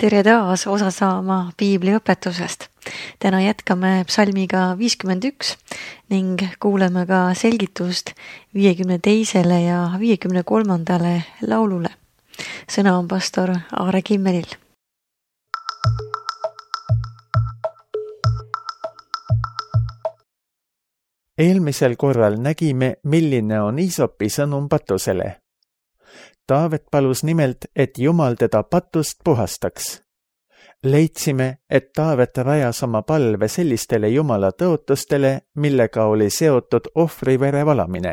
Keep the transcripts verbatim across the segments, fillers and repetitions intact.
Tere taas osa saama piibli õpetusest. Täna jätkame psalmiga viiskümmend üks ning kuuleme ka selgitust viiekümne teisele ja viiekümne kolmandale laulule. Sõna on pastor Aare Kimmelil. Eelmisel korral nägime, milline on Iisopi sõnum patusele. Taavet palus nimelt, et Jumal teda patust puhastaks. Leidsime, et Taavet rajas oma palve sellistele Jumala tõotustele, millega oli seotud ohvrivere valamine.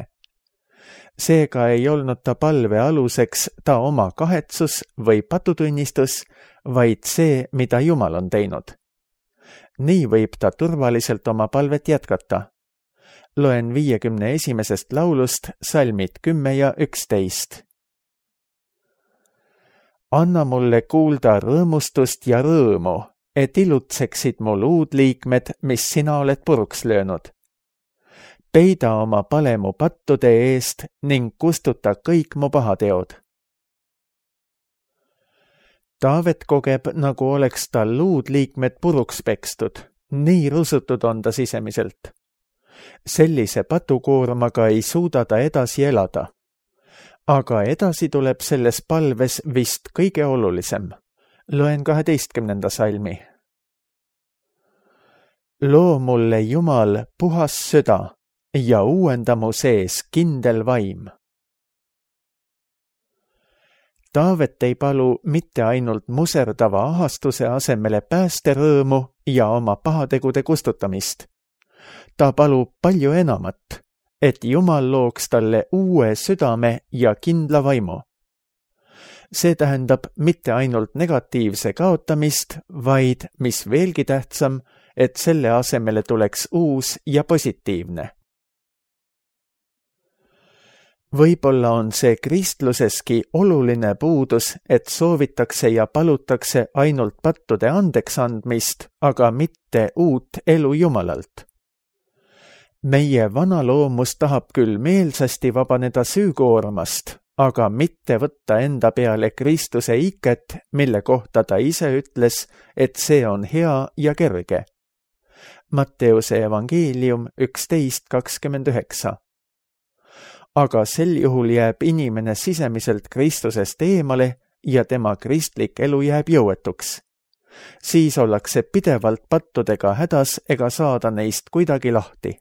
Seega ei olnud ta palve aluseks ta oma kahetsus või patutunnistus, vaid see, mida Jumal on teinud. Nii võib ta turvaliselt oma palvet jätkata. Loen viiekümne esimesest laulust salmid kümme ja üksteist. Anna mulle kuulda rõõmustust ja rõõmu, et ilutseksid mu luudliikmed, mis sina oled puruks löönud. Peida oma pale mu pattude eest ning kustuta kõik mu pahateod. Taavet kogeb, nagu oleks tal luudliikmed puruks pekstud, nii rusutud on ta sisemiselt. Sellise patukoormaga ei suuda ta edasi elada. Aga edasi tuleb selles palves vist kõige olulisem. Loen kaheteistkümnenda salmi. Loo mulle Jumal puhas süda ja uuenda mu sees kindel vaim. Taavet ei palu mitte ainult muserdava ahastuse asemele päästerõõmu ja oma pahategude kustutamist. Ta palub palju enamat, et Jumal looks talle uue südame ja kindla vaimu. See tähendab mitte ainult negatiivse kaotamist, vaid, mis veelgi tähtsam, et selle asemele tuleks uus ja positiivne. Võib-olla on see kristluseski oluline puudus, et soovitakse ja palutakse ainult pattude andeks andmist, aga mitte uut elu Jumalalt. Meie vana loomus tahab küll meelsasti vabaneda süükoormast, aga mitte võtta enda peale Kristuse iket, mille kohta ta ise ütles, et see on hea ja kerge. Matteuse evangeelium üksteist kakskümmend üheksa. Aga sel juhul jääb inimene sisemiselt Kristusest eemale ja tema kristlik elu jääb jõuetuks. Siis ollakse pidevalt pattudega hädas ega saada neist kuidagi lahti.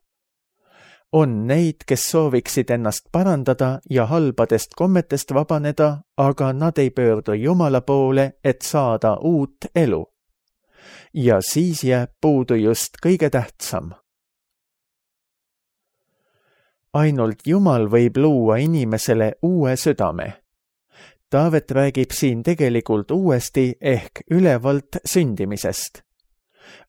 On neid, kes sooviksid ennast parandada ja halbadest kommetest vabaneda, aga nad ei pöördu Jumala poole, et saada uut elu. Ja siis jääb puudu just kõige tähtsam. Ainult Jumal võib luua inimesele uue südame. Taavet räägib siin tegelikult uuesti ehk ülevalt sündimisest.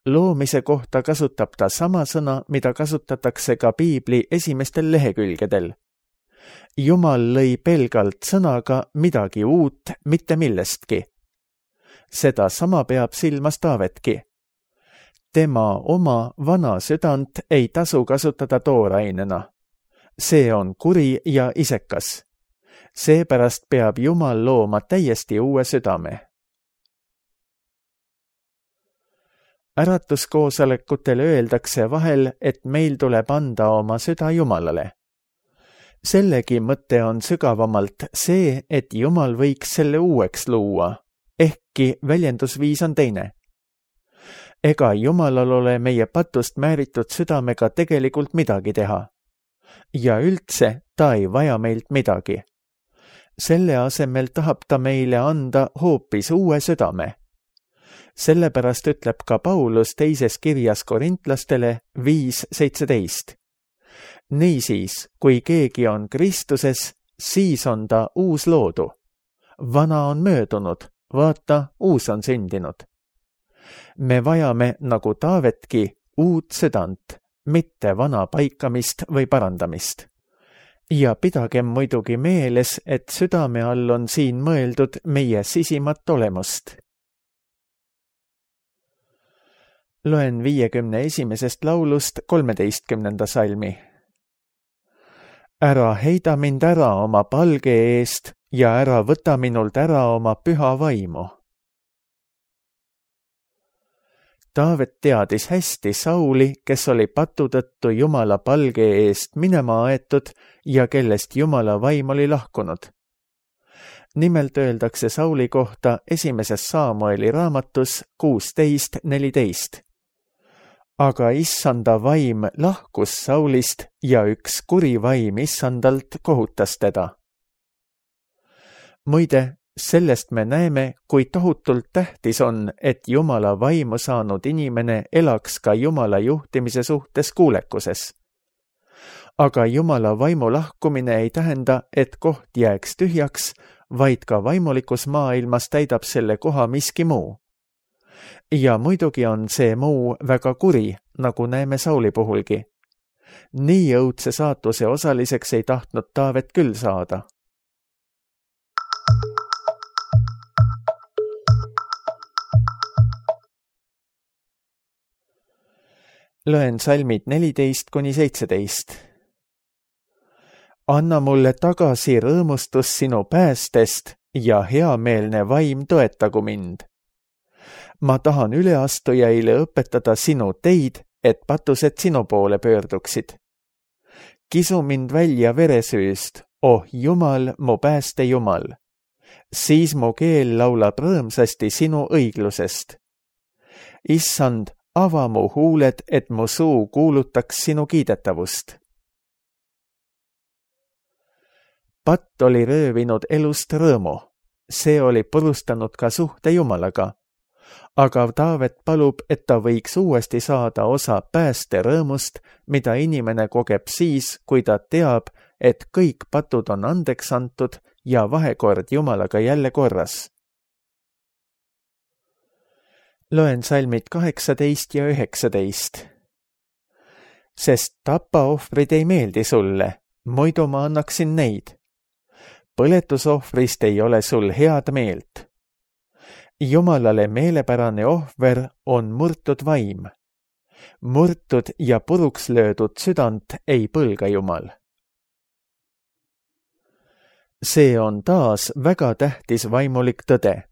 Loomise kohta kasutab ta sama sõna, mida kasutatakse ka piibli esimestel lehekülgedel. Jumal lõi pelgalt sõnaga midagi uut, mitte millestki. Seda sama peab silmas Taavetki. Tema oma vana südant ei tasu kasutada toorainena. See on kuri ja isekas. Seepärast peab Jumal looma täiesti uue südame. Äratuskoosolekutel öeldakse vahel, et meil tuleb anda oma süda Jumalale. Sellegi mõte on sügavamalt see, et Jumal võiks selle uueks luua, ehkki väljendusviis on teine. Ega Jumalal ole meie patust määritud südamega tegelikult midagi teha. Ja üldse ta ei vaja meilt midagi. Selle asemel tahab ta meile anda hoopis uue südame. Sellepärast ütleb ka Paulus teises kirjas korintlastele viis seitseteist. Niisiis, kui keegi on Kristuses, siis on ta uus loodu. Vana on möödunud, vaata, uus on sündinud. Me vajame, nagu Taavetki, uut südant, mitte vana paikamist või parandamist. Ja pidagem muidugi meeles, et südame all on siin mõeldud meie sisimat olemust. Loen viiekümne esimesest laulust kolmeteistkümnenda salmi. Ära heida mind ära oma palge eest ja ära võta minult ära oma püha vaimu. Taavet teadis hästi Sauli, kes oli patu tõttu Jumala palge eest minema aetud ja kellest Jumala vaim oli lahkunud. Nimelt öeldakse Sauli kohta esimeses Saamueli raamatus kuusteist neliteist. Aga issanda vaim lahkus Saulist ja üks kuri vaim issandalt kohutas teda. Muide, sellest me näeme, kui tohutult tähtis on, et Jumala vaimu saanud inimene elaks ka Jumala juhtimise suhtes kuulekuses. Aga Jumala vaimu lahkumine ei tähenda, et koht jääks tühjaks, vaid ka vaimulikus maailmas täidab selle koha miski muu. Ja muidugi on see muu väga kuri, nagu näeme Sauli puhulgi. Nii õudse saatuse osaliseks ei tahtnud Taavet küll saada. Loen salmid neliteist kuni seitseteist. Anna mulle tagasi rõõmustus sinu päästest ja heameelne vaim toetagu mind. Ma tahan üleastujaile õpetada sinu teid, et patused sinu poole pöörduksid. Kisu mind välja veresüüst, oh Jumal, mu pääste Jumal. Siis mu keel laulab rõõmsasti sinu õiglusest. Issand, ava mu huuled, et mu suu kuulutaks sinu kiidetavust. Patt oli röövinud elust rõõmu. See oli purustanud ka suhte Jumalaga. Aga Taavet palub, et ta võiks uuesti saada osa pääste rõõmust, mida inimene kogeb siis, kui ta teab, et kõik patud on andeks antud ja vahekord Jumalaga jälle korras. Loen salmid kaheksateist ja üheksateist. Sest tapaohvrid ei meeldi sulle, muidu ma annaksin neid. Põletusohvrist ei ole sul head meelt. Jumalale meelepärane ohver on murtud vaim. Murtud ja puruks löödud südant ei põlga Jumal. See on taas väga tähtis vaimulik tõde.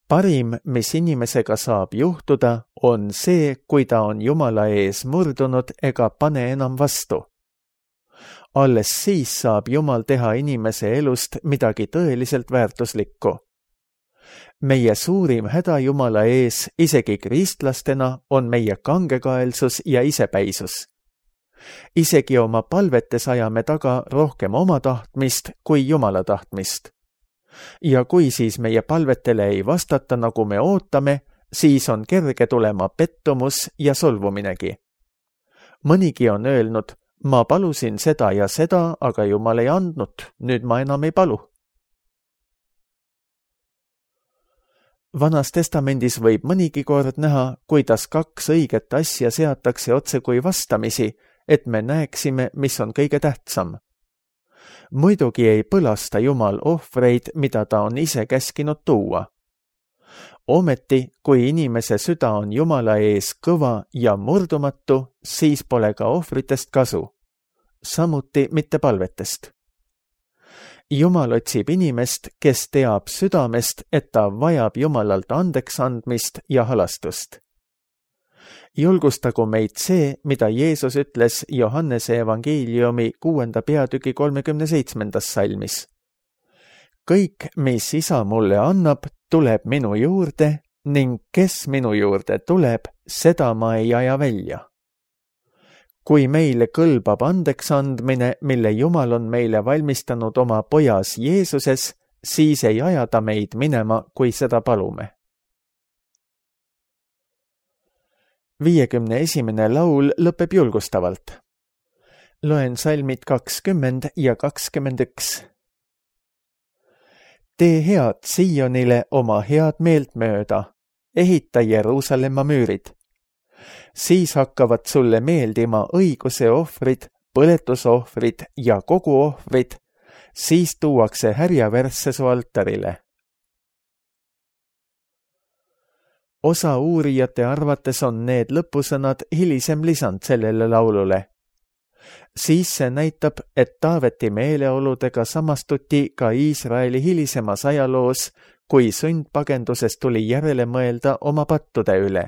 Parim, mis inimesega saab juhtuda, on see, kui ta on Jumala ees murdunud ega pane enam vastu. Alles siis saab Jumal teha inimese elust midagi tõeliselt väärtuslikku. Meie suurim häda Jumala ees, isegi kristlastena, on meie kangekaelsus ja isepäisus. Isegi oma palvetes ajame taga rohkem oma tahtmist kui Jumala tahtmist. Ja kui siis meie palvetele ei vastata, nagu me ootame, siis on kerge tulema pettumus ja solvuminegi. Mõnigi on öelnud, ma palusin seda ja seda, aga Jumal ei andnud, nüüd ma enam ei palu. Vanas testamendis võib mõnigi kord näha, kuidas kaks õiget asja seatakse otse kui vastamisi, et me näeksime, mis on kõige tähtsam. Muidugi ei põlasta Jumal ohvreid, mida ta on ise käskinud tuua. Ometi, kui inimese süda on Jumala ees kõva ja murdumatu, siis pole ka ohvritest kasu. Samuti mitte palvetest. Jumal otsib inimest, kes teab südamest, et ta vajab Jumalalt andeks andmist ja halastust. Julgustagu meid see, mida Jeesus ütles Johannese evangeeliumi kuuenda peatüki kolmekümne seitsmendas salmis. Kõik, mis isa mulle annab, tuleb minu juurde ning kes minu juurde tuleb, seda ma ei aja välja. Kui meile kõlbab andeks andmine, mille Jumal on meile valmistanud oma pojas Jeesuses, siis ei aja ta meid minema, kui seda palume. viiekümne esimene laul lõpeb julgustavalt. Loen salmid kakskümmend ja kakskümmend üks. Tee head Siionile oma head meelt mööda, ehita Jeruusalemma müürid. Siis hakkavad sulle meeldima õiguse ohvrid, põletusohvrid ja kogu ohvrid, siis tuuakse härjavärsse su altarile. Osa uurijate arvates on need lõpusõnad hilisem lisand sellele laulule. Siis see näitab, et Taaveti meeleoludega samastuti ka Iisraeli hilisemas ajaloos, kui sundpagenduses tuli järele mõelda oma pattude üle.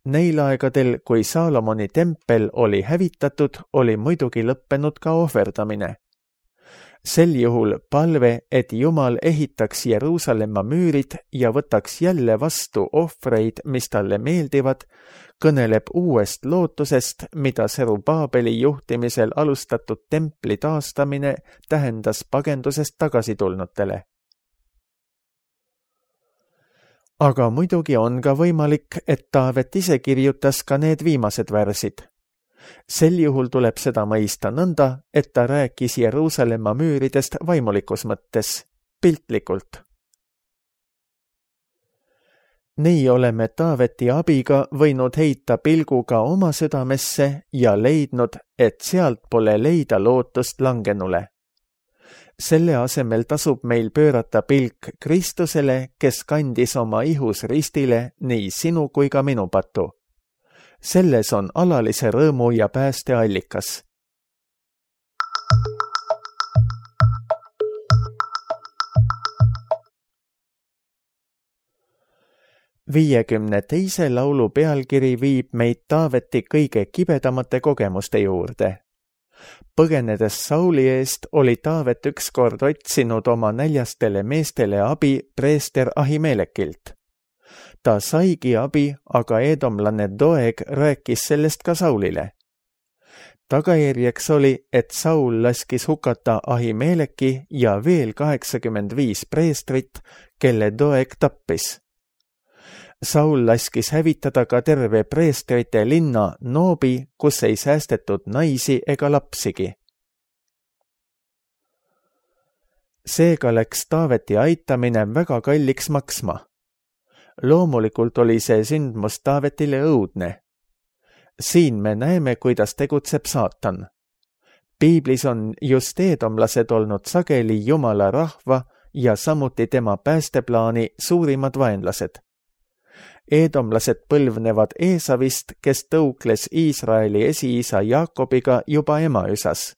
Neil aegadel, kui Saalomoni tempel oli hävitatud, oli muidugi lõppenud ka ohverdamine. Sel juhul palve, et Jumal ehitaks Jeruusalemma müürid ja võtaks jälle vastu ohvreid, mis talle meeldivad, kõneleb uuest lootusest, mida Serubaabeli juhtimisel alustatud templi taastamine tähendas pagendusest tagasitulnutele. Aga muidugi on ka võimalik, et Taavet ise kirjutas ka need viimased värsid. Sel juhul tuleb seda mõista nõnda, et ta rääkis Jeruusalemma müüridest vaimulikus mõttes, piltlikult. Nii oleme Taaveti abiga võinud heita pilguga oma südamesse ja leidnud, et sealt pole leida lootust langenule. Selle asemel tasub meil pöörata pilk Kristusele, kes kandis oma ihus ristile nii sinu kui ka minu patu. Selles on alalise rõõmu ja pääste allikas. viiekümne teise laulu pealkiri viib meid Taaveti kõige kibedamate kogemuste juurde. Põgenedes Sauli eest oli Taavet ükskord otsinud oma näljastele meestele abi preester Ahimelekilt. Ta saigi abi, aga eedomlane Doeg rääkis sellest ka Saulile. Tagajärjeks oli, et Saul laskis hukata Ahimeleki ja veel kaheksakümmend viis preestrit, kelle Doeg tappis. Saul laskis hävitada ka terve preestrite linna Noobi, kus ei säästetud naisi ega lapsigi. Seega läks Taaveti aitamine väga kalliks maksma. Loomulikult oli see sündmus Taavetile õudne. Siin me näeme, kuidas tegutseb saatan. Piiblis on just eedomlased olnud sageli Jumala rahva ja samuti tema päästeplaani suurimad vaenlased. Eedomlased põlvnevad Eesavist, kes tõukles Iisraeli esiisa Jaakobiga juba emaüsas.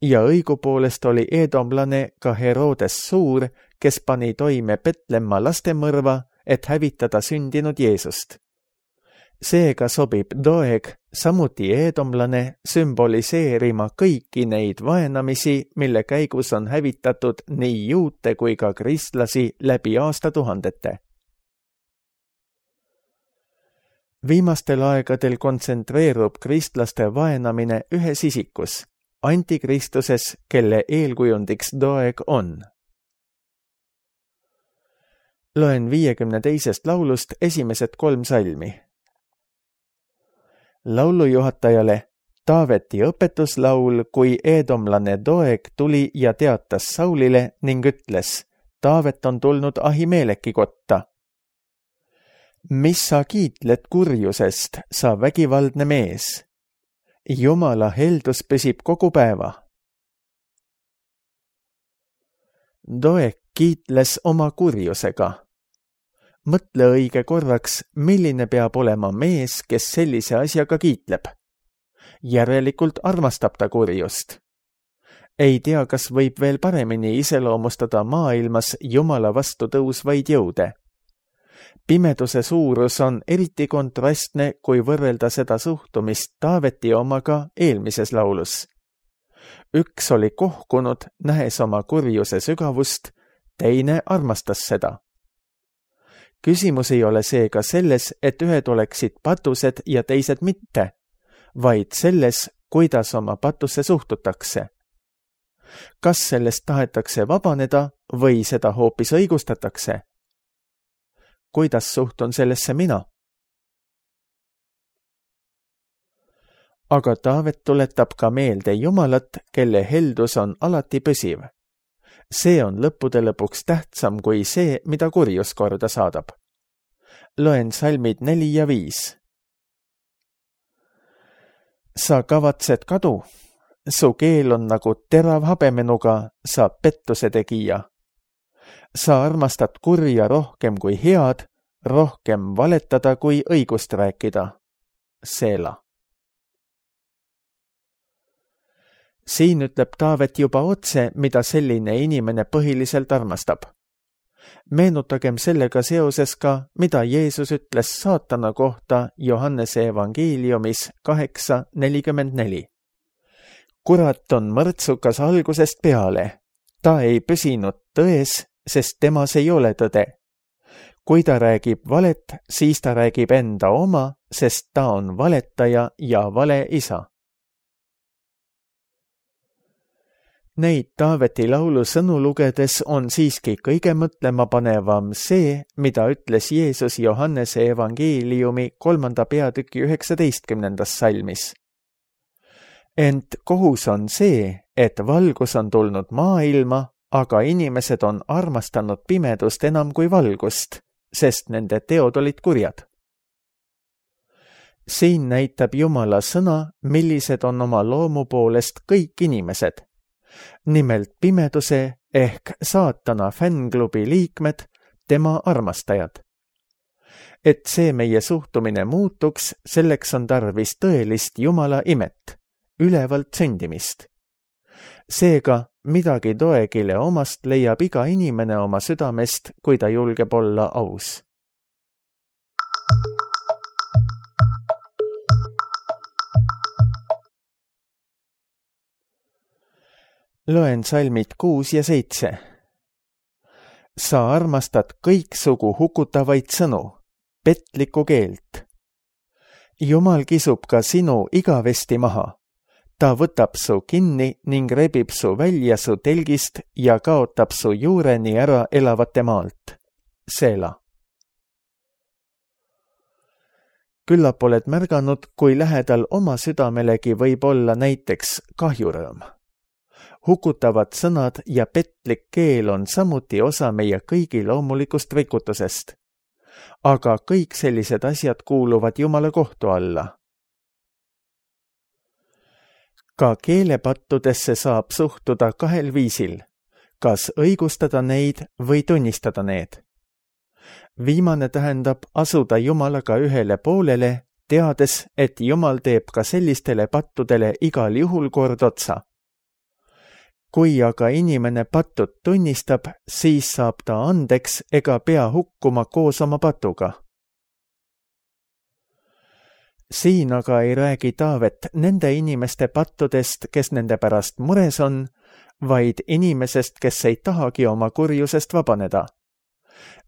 Ja õigupoolest oli eedomlane ka Herodes Suur, kes pani toime Petlemma lastemõrva, et hävitada sündinud Jeesust. Seega sobib Doeg, samuti eedomlane, sümboliseerima kõiki neid vaenamisi, mille käigus on hävitatud nii juute kui ka kristlasi läbi aastatuhandete. Viimastel aegadel kontsentreerub kristlaste vaenamine ühes isikus, antikristuses, kelle eelkujundiks Doeg on. Loen viiekümne teisest laulust esimesed kolm salmi. Laulujuhatajale Taaveti õpetuslaul, kui eedomlane Doeg tuli ja teatas Saulile ning ütles, Taavet on tulnud Ahimeleki kotta. Mis sa kiitled kurjusest, sa vägivaldne mees? Jumala heldus püsib kogu päeva. Doeg kiitles oma kurjusega. Mõtle õige korraks, milline peab olema mees, kes sellise asjaga kiitleb. Järelikult armastab ta kurjust. Ei tea, kas võib veel paremini iseloomustada maailmas Jumala vastu tõusvaid jõude. Pimeduse suurus on eriti kontrastne, kui võrrelda seda suhtumist Taaveti omaga eelmises laulus. Üks oli kohkunud, nähes oma kurjuse sügavust, teine armastas seda. Küsimus ei ole seega selles, et ühed oleksid patused ja teised mitte, vaid selles, kuidas oma patusse suhtutakse. Kas sellest tahetakse vabaneda või seda hoopis õigustatakse? Kuidas suhtun sellesse mina? Aga Taavet tuletab ka meelde Jumalat, kelle heldus on alati püsiv. See on lõppude lõpuks tähtsam kui see, mida kurjus korda saadab. Loen salmid neli ja viis. Sa kavatsed kadu, su keel on nagu terav habemenuga, sa pettuse tegija. Sa armastad kurja rohkem kui head, rohkem valetada kui õigust rääkida. Seela. Siin ütleb Taavet juba otse, mida selline inimene põhiliselt armastab. Meenutagem sellega seoses ka, mida Jeesus ütles saatana kohta Johannese evangeeliumis kaheksa nelikümmend neli. Kurat on mõrtsukas algusest peale. Ta ei püsinud tões, sest temas ei ole tõde. Kui ta räägib valet, siis ta räägib enda oma, sest ta on valetaja ja vale isa. Neid Taaveti laulu sõnu lugedes on siiski kõige mõtlemapanevam see, mida ütles Jeesus Johannese evangeeliumi kolmanda peatüki üheksateistkümnendas salmis. Ent kohus on see, et valgus on tulnud maailma, aga inimesed on armastanud pimedust enam kui valgust, sest nende teod olid kurjad. Siin näitab Jumala sõna, millised on oma loomu poolest kõik inimesed. Nimelt pimeduse ehk saatana fännklubi liikmed, tema armastajad. Et see meie suhtumine muutuks, selleks on tarvis tõelist Jumala imet, ülevalt sündimist. Seega midagi Doegile omast leiab iga inimene oma südamest, kui ta julgeb olla aus. Loen salmid kuus ja seitse. Sa armastad kõiksugu hukutavaid sõnu, petlikku keelt. Jumal kisub ka sinu igavesti maha. Ta võtab su kinni ning rebib su välja su telgist ja kaotab su juureni ära elavate maalt. Seela. Küllap oled märganud, kui lähedal oma südamelegi võib olla näiteks kahjurõõm. Hukutavad sõnad ja petlik keel on samuti osa meie kõigi loomulikust rikutusest. Aga kõik sellised asjad kuuluvad Jumala kohtu alla. Ka keelepattudesse saab suhtuda kahel viisil, kas õigustada neid või tunnistada need. Viimane tähendab asuda Jumalaga ühele poolele, teades, et Jumal teeb ka sellistele pattudele igal juhul kord otsa. Kui aga inimene pattud tunnistab, siis saab ta andeks ega pea hukkuma koos oma patuga. Siin aga ei räägi Taavet nende inimeste pattudest, kes nende pärast mures on, vaid inimesest, kes ei tahagi oma kurjusest vabaneda.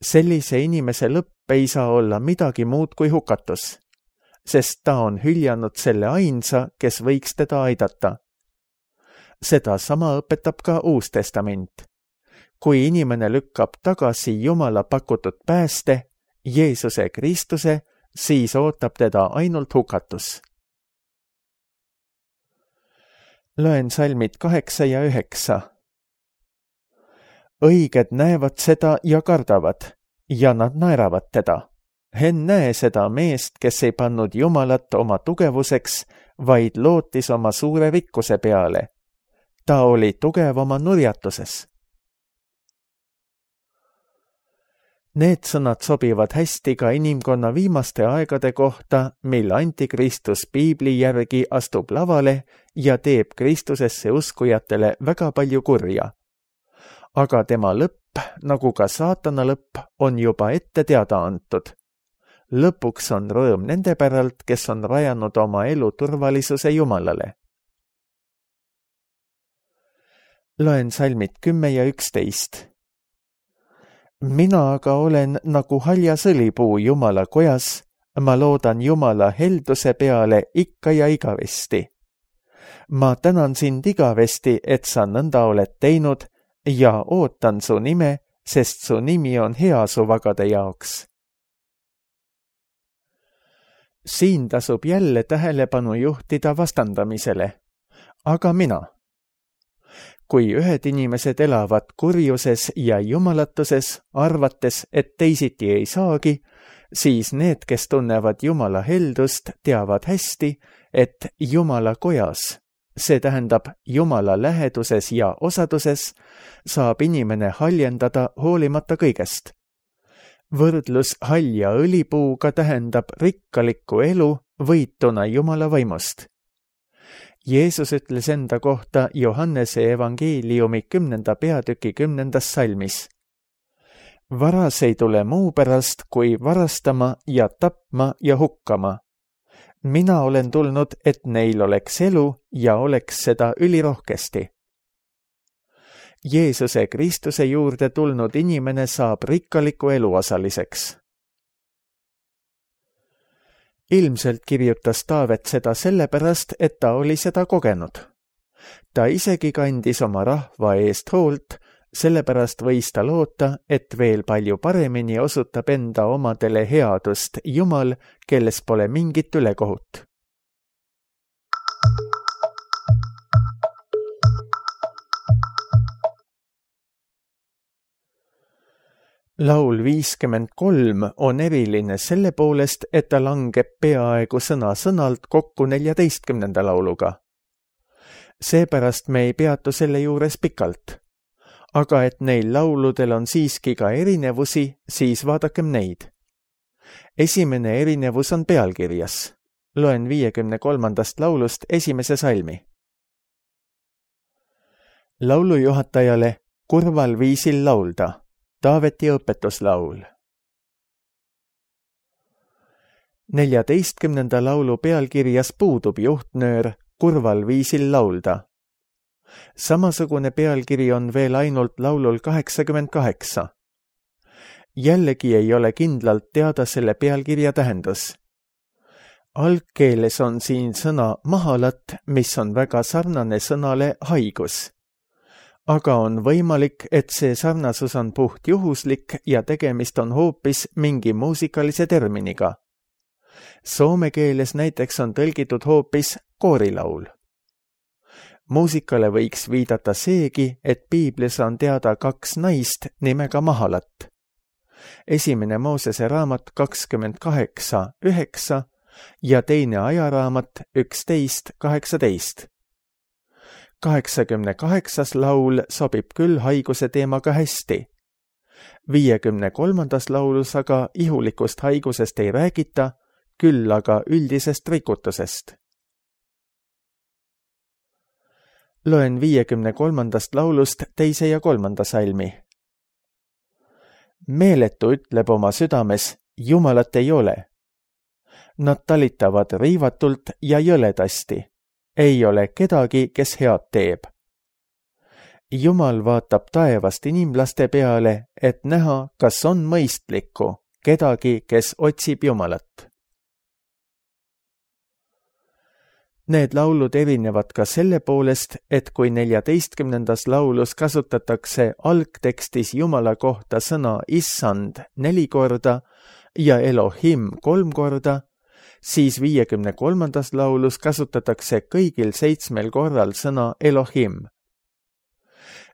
Sellise inimese lõpp ei saa olla midagi muud kui hukatus, sest ta on hüljanud selle ainsa, kes võiks teda aidata. Seda sama õpetab ka Uus Testament. Kui inimene lükkab tagasi Jumala pakutud pääste, Jeesuse Kristuse, siis ootab teda ainult hukatus. Loen salmid kaheksa ja üheksa. Õiged näevad seda ja kardavad, ja nad naeravad teda. Ennäe seda meest, kes ei pannud Jumalat oma tugevuseks, vaid lootis oma suure rikkuse peale. Ta oli tugev oma nurjatuses. Need sõnad sobivad hästi ka inimkonna viimaste aegade kohta, mil Antikristus Piibli järgi astub lavale ja teeb Kristusesse uskujatele väga palju kurja. Aga tema lõpp, nagu ka saatana lõpp, on juba ette teada antud. Lõpuks on rõõm nende päralt, kes on rajanud oma elu turvalisuse Jumalale. Loen salmid kümme ja üksteist. Mina aga olen nagu haljas õlipuu Jumala kojas, ma loodan Jumala helduse peale ikka ja igavesti. Ma tänan sind igavesti, et sa nõnda oled teinud ja ootan su nime, sest su nimi on hea su vagade jaoks. Siin tasub jälle tähelepanu juhtida vastandamisele. Aga mina? Kui ühed inimesed elavad kurjuses ja jumalatuses, arvates, et teisiti ei saagi, siis need, kes tunnevad Jumala heldust, teavad hästi, et Jumala kojas, see tähendab Jumala läheduses ja osaduses, saab inimene haljendada hoolimata kõigest. Võrdlus halja õlipuuga tähendab rikkalikku elu võituna Jumala vaimust. Jeesus ütles enda kohta Johannese evangeeliumi kümnenda peatüki kümnendas salmis. varas ei tule muu pärast, kui varastama ja tapma ja hukkama. Mina olen tulnud, et neil oleks elu ja oleks seda ülirohkesti. Jeesuse Kristuse juurde tulnud inimene saab rikkaliku elu osaliseks. Ilmselt kirjutas Taavet seda sellepärast, et ta oli seda kogenud. Ta isegi kandis oma rahva eest hoolt, sellepärast võis ta loota, et veel palju paremini osutab enda omadele headust Jumal, kelles pole mingit ülekohut. Laul viiskümmend kolm on eriline selle poolest, et ta langeb peaaegu sõna-sõnalt kokku neljateistkümnenda lauluga. Seepärast me ei peatu selle juures pikalt. Aga et neil lauludel on siiski ka erinevusi, siis vaadakem neid. Esimene erinevus on pealkirjas. Loen viiekümne kolmandast laulust esimese salmi. Laulujuhatajale kurval viisil laulda. Taaveti õpetuslaul. Neljateistkümnenda laulu pealkirjas puudub juhtnöör kurval viisil laulda. Samasugune pealkiri on veel ainult laulul kaheksakümmend kaheksa. Jällegi ei ole kindlalt teada selle pealkirja tähendus. Algkeeles on siin sõna mahalat, mis on väga sarnane sõnale haigus. Aga on võimalik, et see sarnasus on puht juhuslik ja tegemist on hoopis mingi muusikalise terminiga. Soome keeles näiteks on tõlgitud hoopis koorilaul. Muusikale võiks viidata seegi, et Piiblis on teada kaks naist nimega Mahalat. Esimene Moosese raamat kakskümmend kaheksa üheksa ja teine ajaraamat üksteist kaheksateist. kaheksakümne kaheksas laul sobib küll haiguse teemaga hästi. viiekümne kolmandas laulus aga ihulikust haigusest ei räägita, küll aga üldisest rikutusest. Loen viiekümne kolmandast laulust teise ja kolmanda salmi. Meeletu ütleb oma südames, Jumalat ei ole. Nad talitavad riivatult ja jõledasti. Ei ole kedagi, kes head teeb. Jumal vaatab taevast inimlaste peale, et näha, kas on mõistlikku, kedagi, kes otsib Jumalat. Need laulud erinevad ka selle poolest, et kui neljateistkümnendas laulus kasutatakse algtekstis Jumala kohta sõna issand neli korda ja Elohim kolm korda, siis viiekümne kolmandas laulus kasutatakse kõigil seitsmel korral sõna Elohim.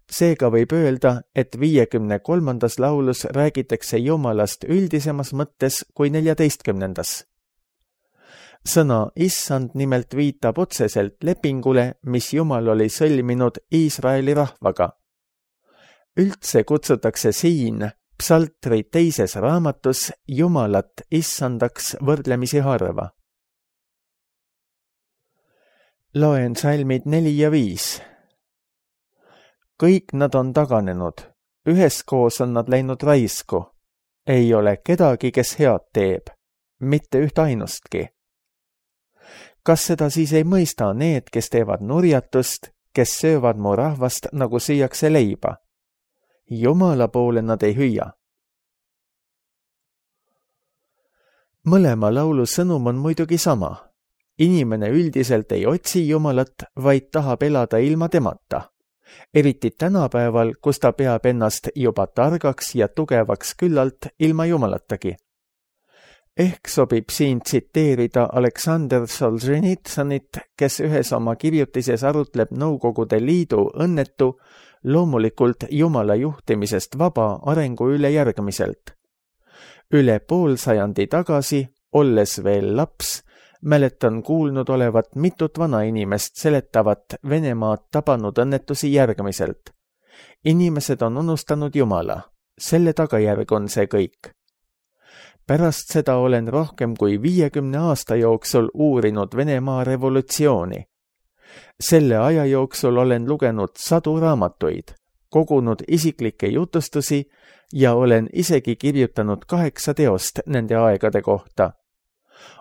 Seega võib öelda, et viiekümne kolmandas laulus räägitakse Jumalast üldisemas mõttes kui neljateistkümnendas. Sõna issand nimelt viitab otseselt lepingule, mis Jumal oli sõlminud Iisraeli rahvaga. Üldse kutsutakse siin psaltri teises raamatus Jumalat issandaks võrdlemisi harva. Loen salmid neli ja viis. Kõik nad on taganenud, üheskoos on nad läinud raisku. Ei ole kedagi, kes head teeb, mitte üht ainustki. Kas seda siis ei mõista need, kes teevad nurjatust, kes söövad mu rahvast, nagu süüakse leiba? Jumala poole nad ei hüüa. Mõlema laulu sõnum on muidugi sama. Inimene üldiselt ei otsi Jumalat, vaid tahab elada ilma temata. Eriti tänapäeval, kus ta peab ennast juba targaks ja tugevaks küllalt ilma Jumalatagi. Ehk sobib siin tsiteerida Aleksander Solženitsõnit, kes ühes oma kirjutises arutleb Nõukogude Liidu õnnetu, loomulikult Jumala juhtimisest vaba arengu üle järgmiselt. Üle pool sajandi tagasi, olles veel laps, mäletan kuulnud olevat mitut vanainimest seletavat Venemaad tabanud õnnetusi järgmiselt. Inimesed on unustanud Jumala. Selle tagajärg on see kõik. Pärast seda olen rohkem kui viiekümne aasta jooksul uurinud Venemaa revolutsiooni. Selle aja jooksul olen lugenud sadu raamatuid, kogunud isiklikke jutustusi ja olen isegi kirjutanud kaheksa teost nende aegade kohta.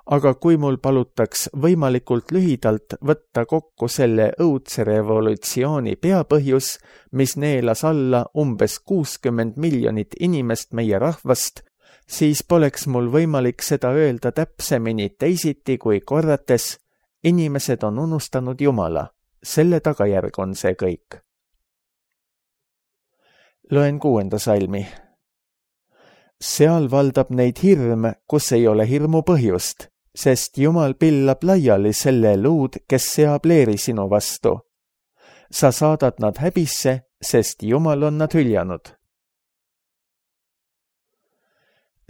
Aga kui mul palutaks võimalikult lühidalt võtta kokku selle õudse revolutsiooni peapõhjus, mis neelas alla umbes kuuskümmend miljonit inimest meie rahvast, siis poleks mul võimalik seda öelda täpsemini teisiti kui korrates, inimesed on unustanud Jumala. Selle tagajärg on see kõik. Loen kuuenda salmi. Seal valdab neid hirm, kus ei ole hirmu põhjust, sest Jumal pillab laiali selle luud, kes seab leeri sinu vastu. Sa saadad nad häbisse, sest Jumal on nad hüljanud.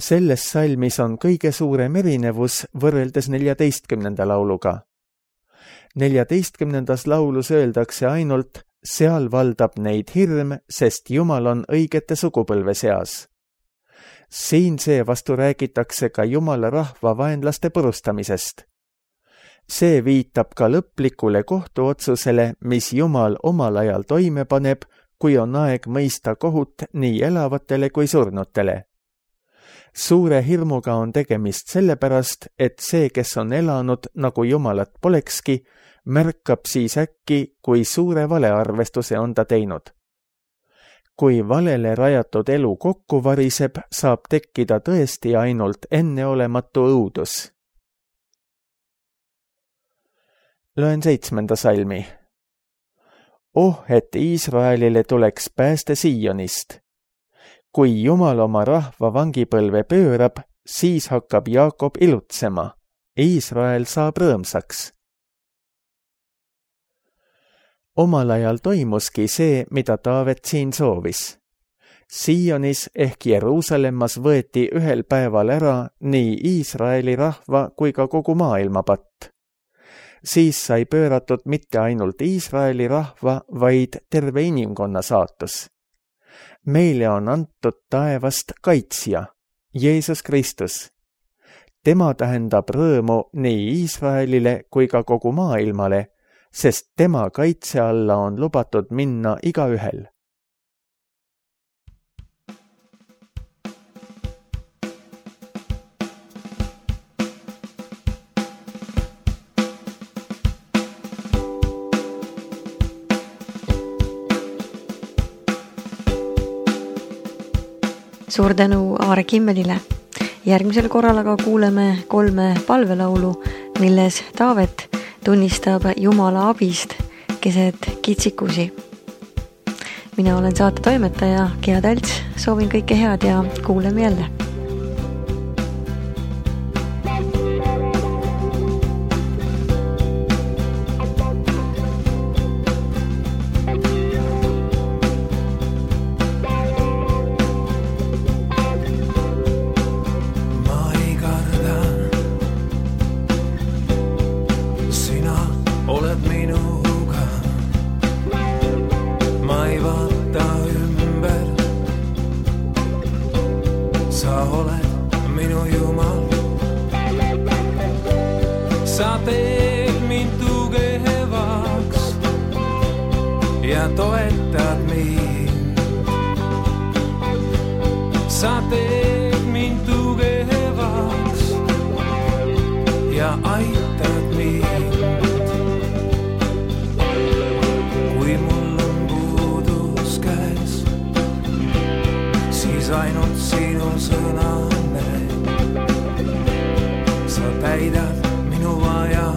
Selles salmis on kõige suurem erinevus võrreldes neljateistkümnenda lauluga. neljateistkümnendas laulus öeldakse ainult, seal valdab neid hirm, sest Jumal on õigete sugupõlve seas. Siin seevastu räägitakse ka Jumala rahva vaenlaste purustamisest. See viitab ka lõplikule kohtuotsusele, mis Jumal omal ajal toime paneb, kui on aeg mõista kohut nii elavatele kui surnutele. Suure hirmuga on tegemist sellepärast, et see, kes on elanud nagu Jumalat polekski, märkab siis äkki, kui suure valearvestuse on ta teinud. Kui valele rajatud elu kokku variseb, saab tekkida tõesti ainult enneolematu õudus. Loen seitsmenda salmi. Oh, et Iisraelile tuleks pääste Siionist. Kui Jumal oma rahva vangipõlve pöörab, siis hakkab Jaakob ilutsema. Iisrael saab rõõmsaks. Omal ajal toimuski see, mida Taavet siin soovis. Sionis ehk Jeruusalemmas võeti ühel päeval ära nii Iisraeli rahva kui ka kogu maailma patt. Siis sai pööratud mitte ainult Iisraeli rahva, vaid terve inimkonna saatus. Meile on antud taevast kaitsja, Jeesus Kristus. Tema tähendab rõõmu nii Iisraelile kui ka kogu maailmale, sest tema kaitse alla on lubatud minna igaühel. Suur tänu Aare Kimmelile. Järgmisel korral aga kuuleme kolme palvelaulu, milles Taavet tunnistab Jumala abist keset kitsikusi. Mina olen saate toimetaja Gea Talts, soovin kõike head ja kuuleme jälle. Sa teed mind tugevaks ja toetad mind. Sa teed mind tugevaks ja aitad mind. Kui mul on puudus käes, siis ainult sinu sõna näed. Sa täidad minu vaja